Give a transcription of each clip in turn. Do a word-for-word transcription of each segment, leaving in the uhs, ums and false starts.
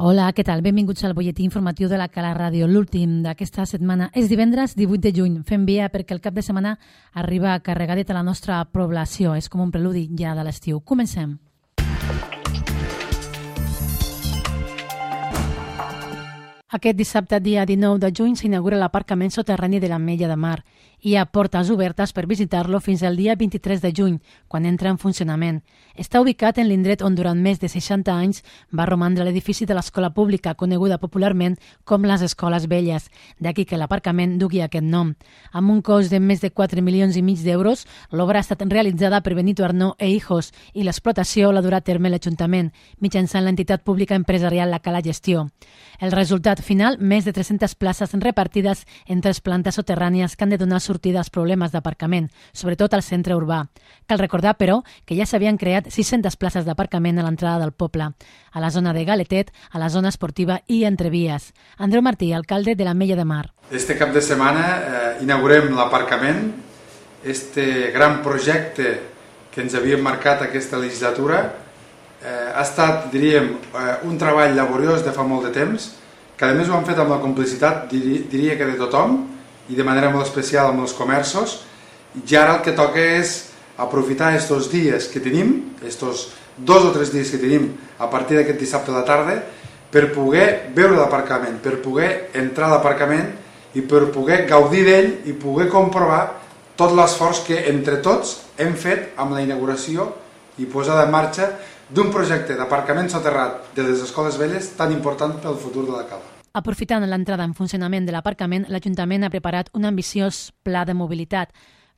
Hola, què tal? Benvinguts al butlletí informatiu de la Cala Ràdio, l'últim d'aquesta setmana. És divendres divuit de juny. Fem via perquè el cap de setmana arriba carregadet a la nostra població. És com un preludi ja de l'estiu. Comencem. Aquest dissabte, dia dinou de juny, s'inaugura l'aparcament soterrani de l'Ametlla de Mar. Hi ha portes obertes per visitar-lo fins al dia vint-i-tres de juny, quan entra en funcionament. Està ubicat en l'indret on durant més de seixanta anys va romandre l'edifici de l'escola pública, coneguda popularment com les Escoles Velles, d'aquí que l'aparcament dugui aquest nom. Amb un cost de més de quatre milions i mig d'euros, l'obra ha estat realitzada per Benito Arnó e Hijos i l'explotació l'ha durat a terme l'Ajuntament, mitjançant l'entitat pública empresarial La Cala Gestió. El resultat final, més de tres-centes places repartides en tres plantes soterrànies que han de donar sortida als problemes d'aparcament, sobretot al centre urbà. Cal recordar, però, que ja s'havien creat sis-centes places d'aparcament a l'entrada del poble, a la zona de Galetet, a la zona esportiva i entre vies. Andreu Martí, alcalde de l'Ametlla de Mar. Este cap de setmana eh, inaugurem l'aparcament, este gran projecte que ens havíem marcat aquesta legislatura. Eh, ha estat, diríem, eh, un treball laboriós de fa molt de temps, que a més ho han fet amb la complicitat, diri, diria que de tothom, i de manera molt especial amb els comerços, i ara el que toca és aprofitar aquests dies que tenim, aquests dos o tres dies que tenim a partir d'aquest dissabte a la tarda, per poder veure l'aparcament, per poder entrar a l'aparcament i per poder gaudir d'ell i poder comprovar tot l'esforç que entre tots hem fet amb la inauguració i posada en marxa d'un projecte d'aparcament soterrat de les Escoles Velles tan important pel futur de la Cala. Aprofitant l'entrada en funcionament de l'aparcament, l'Ajuntament ha preparat un ambiciós pla de mobilitat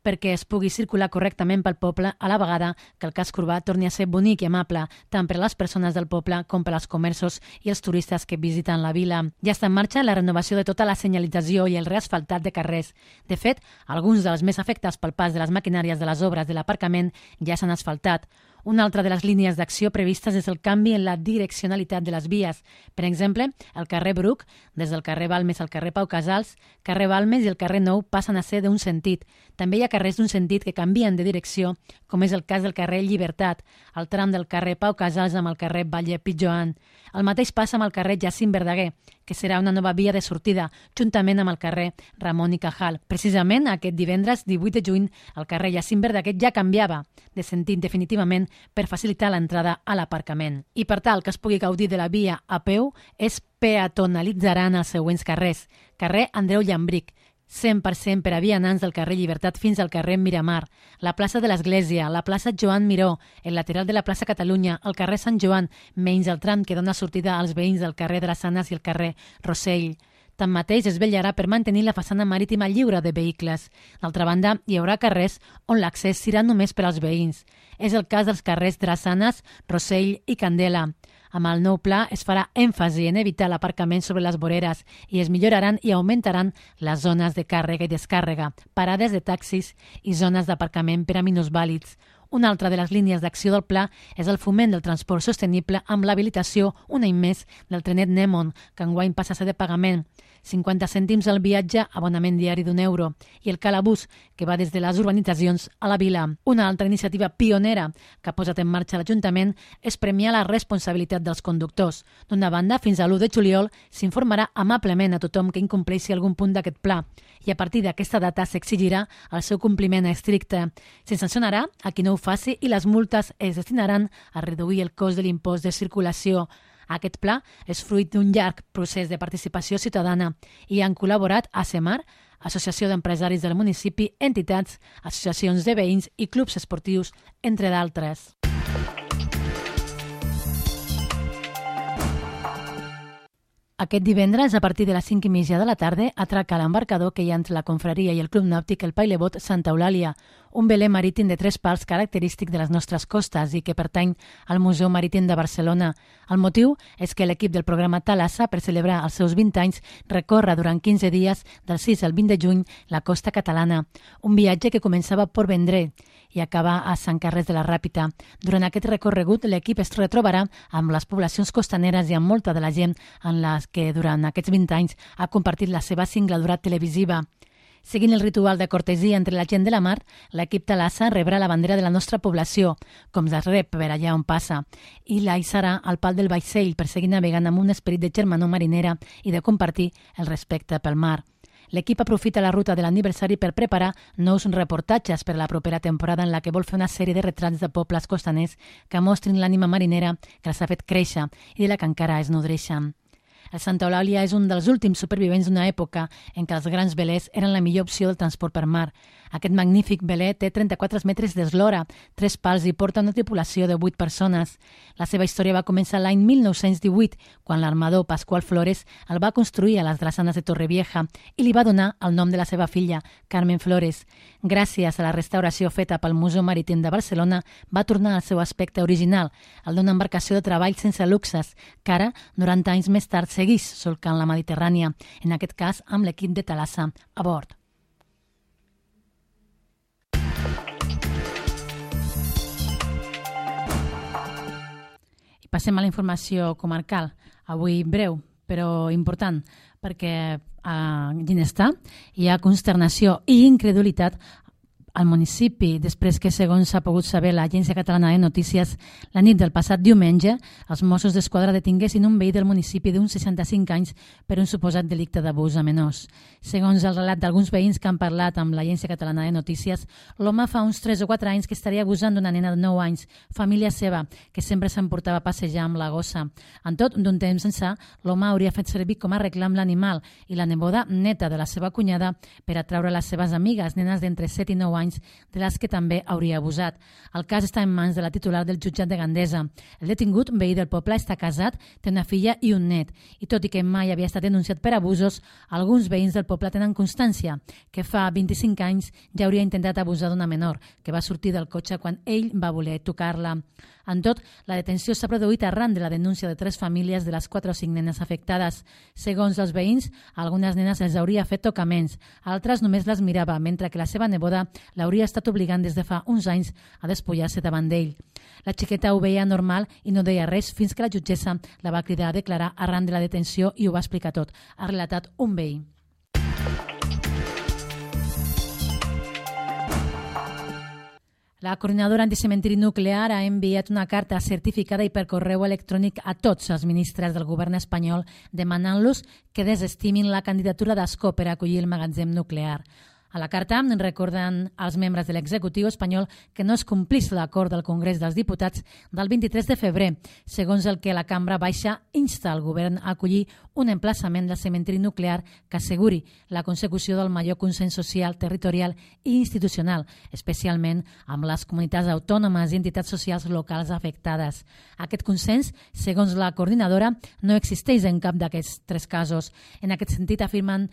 perquè es pugui circular correctament pel poble a la vegada que el casc urbà torni a ser bonic i amable, tant per a les persones del poble com per als comerços i els turistes que visiten la vila. Ja està en marxa la renovació de tota la senyalització i el reasfaltat de carrers. De fet, alguns dels més afectats pel pas de les maquinàries de les obres de l'aparcament ja s'han asfaltat. Una altra de les línies d'acció previstes és el canvi en la direccionalitat de les vies. Per exemple, el carrer Bruc, des del carrer Balmes al carrer Pau Casals, carrer Balmes i el carrer Nou passen a ser d'un sentit. També hi ha carrers d'un sentit que canvien de direcció, com és el cas del carrer Llibertat, el tram del carrer Pau Casals amb el carrer Valle Pitjoan. El mateix passa amb el carrer Jacint Verdaguer, que serà una nova via de sortida, juntament amb el carrer Ramon i Cajal. Precisament aquest divendres divuit de juny, el carrer Jacint Verdaguer ja canviava de sentit definitivament per facilitar l'entrada a l'aparcament. I per tal que es pugui gaudir de la via a peu, es peatonalitzaran els següents carrers. Carrer Andreu Llambric, cent per cent per a vianants del carrer Llibertat fins al carrer Miramar, la plaça de l'Església, la plaça Joan Miró, el lateral de la plaça Catalunya, el carrer Sant Joan, menys el tram que dona sortida als veïns del carrer Drassanes i el carrer Rossell. Tanmateix, es vetllarà per mantenir la façana marítima lliure de vehicles. D'altra banda, hi haurà carrers on l'accés serà només per als veïns. És el cas dels carrers Drassanes, Rossell i Candela. Amb el nou pla es farà èmfasi en evitar l'aparcament sobre les voreres i es milloraran i augmentaran les zones de càrrega i descàrrega, parades de taxis i zones d'aparcament per a minusvàlids. Una altra de les línies d'acció del pla és el foment del transport sostenible amb l'habilitació un any més del trenet Nemon, que enguany passa a ser de pagament. cinquanta cèntims al viatge, abonament diari d'un euro, i el Calabús, que va des de les urbanitzacions a la vila. Una altra iniciativa pionera que ha posat en marxa l'Ajuntament és premiar la responsabilitat dels conductors. D'una banda, fins a l'u de juliol s'informarà amablement a tothom que incompleixi algun punt d'aquest pla, i a partir d'aquesta data s'exigirà el seu compliment estricte. Se sancionarà a qui no ho faci i les multes es destinaran a reduir el cost de l'impost de circulació. Aquest pla és fruit d'un llarg procés de participació ciutadana i han col·laborat a ASEMAR, Associació d'Empresaris del Municipi, entitats, associacions de veïns i clubs esportius, entre d'altres. Aquest divendres, a partir de les cinc i mitja de la tarda, atraca l'embarcador que hi ha entre la confraria i el Club Nàutic El Pailebot Santa Eulàlia, un veler marítim de tres pals característic de les nostres costes i que pertany al Museu Marítim de Barcelona. El motiu és que l'equip del programa Thalassa, per celebrar els seus vint anys, recorre durant quinze dies, del sis al vint de juny, la costa catalana. Un viatge que començava a Port Vendrell i acaba a Sant Carrers de la Ràpita. Durant aquest recorregut, l'equip es retrobarà amb les poblacions costaneres i amb molta de la gent en les que durant aquests vint anys ha compartit la seva singladura televisiva. Seguint el ritual de cortesia entre la gent de la mar, l'equip Thalassa rebrà la bandera de la nostra població, com es rep per allà on passa, i la hissarà al pal del vaixell per seguir navegant amb un esperit de germanor marinera i de compartir el respecte pel mar. L'equip aprofita la ruta de l'aniversari per preparar nous reportatges per a la propera temporada en la que vol fer una sèrie de retrats de pobles costaners que mostrin l'ànima marinera que els ha fet créixer i de la que encara es nodreixen. El Santa Eulàlia és un dels últims supervivents d'una època en què els grans velers eren la millor opció del transport per mar. Aquest magnífic veler té trenta-quatre metres d'eslora, tres pals i porta una tripulació de vuit persones. La seva història va començar l'any mil nou-cents divuit, quan l'armador Pasqual Flores el va construir a les drassanes de Torrevieja i li va donar el nom de la seva filla, Carmen Flores. Gràcies a la restauració feta pel Museu Marítim de Barcelona, va tornar al seu aspecte original, el d'una embarcació de treball sense luxes, que ara, noranta anys més tard, seguís solcant la Mediterrània, en aquest cas amb l'equip de Thalassa a bord. I passem a la informació comarcal, avui breu, però important, perquè a Ginestar hi ha consternació i incredulitat al municipi, després que, segons s'ha pogut saber l'Agència Catalana de Notícies, la nit del passat diumenge, els Mossos d'Esquadra detinguessin un veí del municipi d'uns seixanta-cinc anys per un suposat delicte d'abús a menors. Segons el relat d'alguns veïns que han parlat amb l'Agència Catalana de Notícies, l'home fa uns tres o quatre anys que estaria abusant d'una nena de nou anys, família seva, que sempre s'emportava a passejar amb la gossa. En tot, d'un temps ençà, l'home hauria fet servir com a reclam l'animal i la neboda neta de la seva cunyada per atraure les seves amigues, nenes d'entre set i nou anys, de les que també hauria abusat. El cas està en mans de la titular del jutjat de Gandesa. El detingut, veí del poble, està casat, té una filla i un net. I tot i que mai havia estat denunciat per abusos, alguns veïns del poble tenen constància que fa vint-i-cinc anys ja hauria intentat abusar d'una menor, que va sortir del cotxe quan ell va voler tocar-la. En tot, la detenció s'ha produït arran de la denúncia de tres famílies de les quatre o cinc nenes afectades. Segons els veïns, a algunes nenes els hauria fet tocaments, altres només les mirava, mentre que la seva neboda l'hauria estat obligant des de fa uns anys a despullar-se davant d'ell. La xiqueta ho veia normal i no deia res fins que la jutgessa la va cridar a declarar arran de la detenció i ho va explicar tot, ha relatat un veí. La coordinadora anticementiri nuclear ha enviat una carta certificada i per correu electrònic a tots els ministres del govern espanyol demanant-los que desestimin la candidatura d'Ascó per acollir el magatzem nuclear. A la carta recorden als membres de l'executiu espanyol que no es complís l'acord del Congrés dels Diputats del vint-i-tres de febrer, segons el que la Cambra Baixa insta el govern a acollir un emplaçament del cementiri nuclear que asseguri la consecució del major consens social, territorial i institucional, especialment amb les comunitats autònomes i entitats socials locals afectades. Aquest consens, segons la coordinadora, no existeix en cap d'aquests tres casos. En aquest sentit, afirmen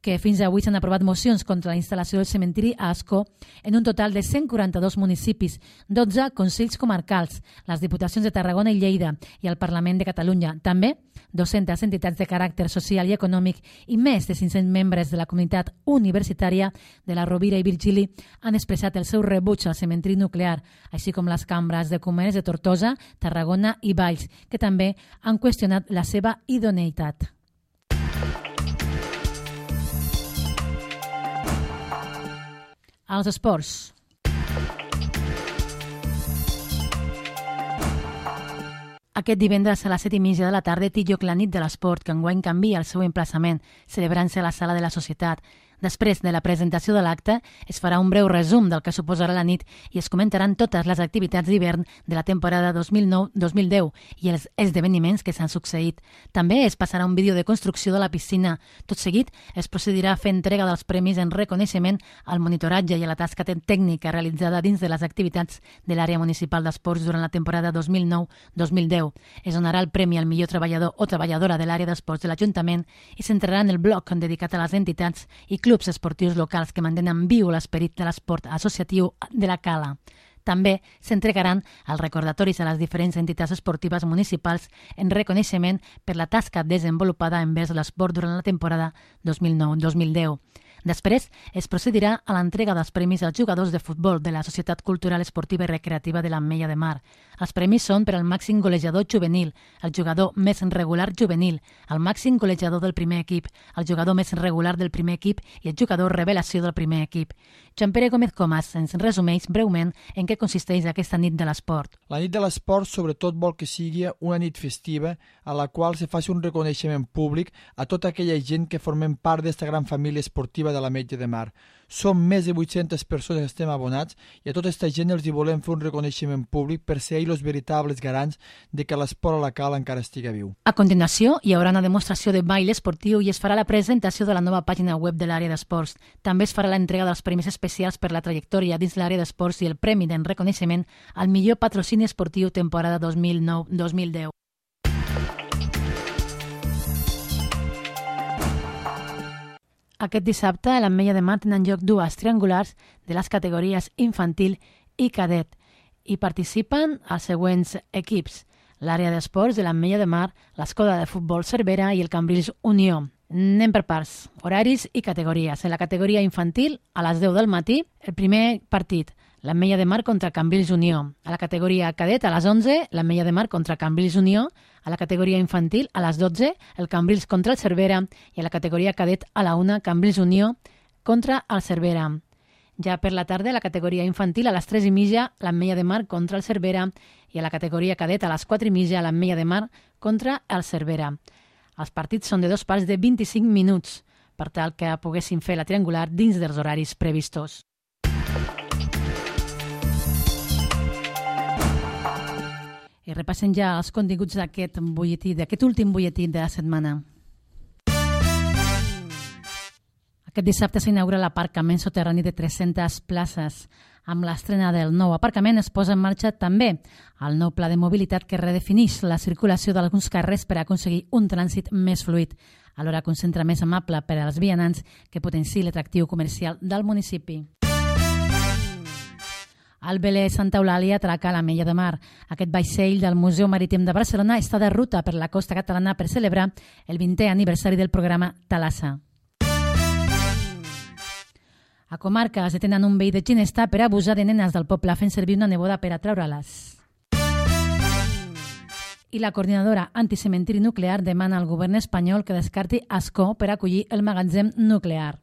que fins avui s'han aprovat mocions contra la instal·lació del cementiri a Ascó en un total de cent quaranta-dos municipis, dotze consells comarcals, les diputacions de Tarragona i Lleida i el Parlament de Catalunya. També dues-centes entitats de caràcter social i econòmic i més de cinc-cents membres de la comunitat universitària de la Rovira i Virgili han expressat el seu rebuig al cementiri nuclear, així com les cambres de comerç de Tortosa, Tarragona i Valls, que també han qüestionat la seva idoneïtat. Als esports. Aquest divendres a les set i mitja de la tarda té lloc la nit de l'esport, que enguany canvia el seu emplaçament, celebrant-se a la Sala de la Societat. Després de la presentació de l'acte, es farà un breu resum del que suposarà la nit i es comentaran totes les activitats d'hivern de la temporada dos mil nou dos mil deu i els esdeveniments que s'han succeït. També es passarà un vídeo de construcció de la piscina. Tot seguit, es procedirà a fer entrega dels premis en reconeixement al monitoratge i a la tasca tècnica realitzada dins de les activitats de l'àrea municipal d'esports durant la temporada dos mil nou dos mil deu. Es donarà el premi al millor treballador o treballadora de l'àrea d'esports de l'Ajuntament i s'entrarà en el bloc dedicat a les entitats i clubs clubs esportius locals que mantenen viu l'esperit de l'esport associatiu de la Cala. També s'entregaran els recordatoris a les diferents entitats esportives municipals en reconeixement per la tasca desenvolupada envers l'esport durant la temporada dos mil nou dos mil deu. Després es procedirà a l'entrega dels premis als jugadors de futbol de la Societat Cultural Esportiva i Recreativa de l'Ametlla de Mar. Els premis són per al màxim golejador juvenil, el jugador més regular juvenil, el màxim golejador del primer equip, el jugador més regular del primer equip i el jugador revelació del primer equip. Joan Pere Gómez Comas ens resumeix breument en què consisteix aquesta nit de l'esport. La nit de l'esport sobretot vol que sigui una nit festiva a la qual se faci un reconeixement públic a tota aquella gent que formem part d'esta gran família esportiva de l'Ametlla de Mar. Som més de vuit-centes persones que estem abonats i a tota aquesta gent els hi volem fer un reconeixement públic per ser ells els veritables garants de que l'esport a la cala encara estigui viu. A continuació, hi haurà una demostració de ball esportiu i es farà la presentació de la nova pàgina web de l'àrea d'esports. També es farà l'entrega dels premis especials per la trajectòria dins l'àrea d'esports i el premi de reconeixement al millor patrocini esportiu temporada dos mil nou dos mil deu. Aquest dissabte a l'Ametlla de Mar tenen lloc dues triangulars de les categories infantil i cadet i participen els següents equips: l'àrea d'esports de l'Ametlla de Mar, l'Escola de Futbol Cervera i el Cambrils Unió. Anem per parts, horaris i categories. En la categoria infantil, a les deu del matí, el primer partit, l'Ametlla de Mar contra Cambrils Unió. A la categoria cadet, a les onze, l'Ametlla de Mar contra Cambrils Unió. A la categoria infantil, a les dotze, el Cambrils contra el Cervera. I a la categoria cadet, a la una, Cambrils Unió contra el Cervera. Ja per la tarda, a la categoria infantil, a les tres i mitja, l'Ametlla de Mar contra el Cervera. I a la categoria cadet, a les quatre i mitja, l'Ametlla de Mar contra el Cervera. Els partits són de dos parts de vint-i-cinc minuts, per tal que poguessin fer la triangular dins dels horaris previstos. I repassem ja els continguts d'aquest butlletí, d'aquest últim butlletí de la setmana. Aquest dissabte s'inaugura l'aparcament soterrani de tres-centes places. Amb l'estrena del nou aparcament es posa en marxa també el nou pla de mobilitat que redefineix la circulació d'alguns carrers per aconseguir un trànsit més fluid, alhora que un centre més amable per als vianants que potenciï l'atractiu comercial del municipi. El velè Santa Eulàlia atraca a l'Ametlla de Mar. Aquest vaixell del Museu Marítim de Barcelona està de ruta per la costa catalana per celebrar el vintè aniversari del programa Thalassa. A Comarca es detenen un veí de Ginesta per abusar de nenes del poble fent servir una neboda per atraure-les. I la coordinadora anticementiri nuclear demana al govern espanyol que descarti Ascó per acollir el magatzem nuclear.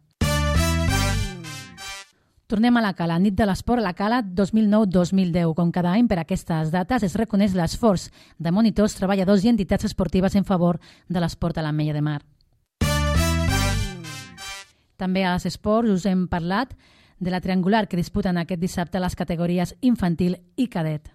Tornem a la Cala, nit de l'esport a la Cala dos mil nou dos mil deu. Com cada any per aquestes dates es reconeix l'esforç de monitors, treballadors i entitats esportives en favor de l'esport a l'Ametlla de Mar. També als esports us hem parlat de la triangular que disputen aquest dissabte les categories infantil i cadet.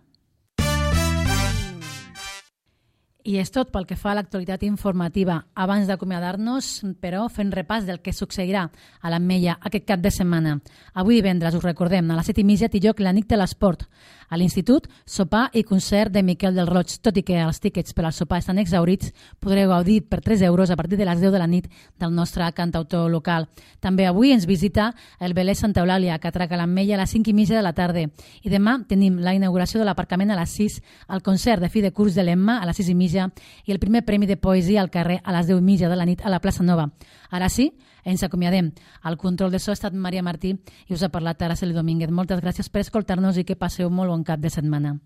I és tot pel que fa a l'actualitat informativa. Abans d'acomiadar-nos, però, fent repàs del que succeirà a l'Ametlla aquest cap de setmana. Avui divendres, us recordem, a les set i mitja té lloc la nit de l'esport. A l'Institut, sopar i concert de Miquel del Roig. Tot i que els tíquets per al sopar estan exhaurits, podreu gaudir per tres euros a partir de les deu de la nit del nostre cantautor local. També avui ens visita el velè Santa Eulàlia, que atraca l'Ametlla a les cinc i mitja de la tarda. I demà tenim la inauguració de l'aparcament a les sis, el concert de fi de curs de l'Emma a les sis i mitja i el primer premi de poesia al carrer a les deu i mitja de la nit a la plaça Nova. Ara sí, ens acomiadem. Al control de so ha estat Maria Martí i us ha parlat Araceli Domínguez. Moltes gràcies per escoltar-nos i que passeu molt bon cap de setmana.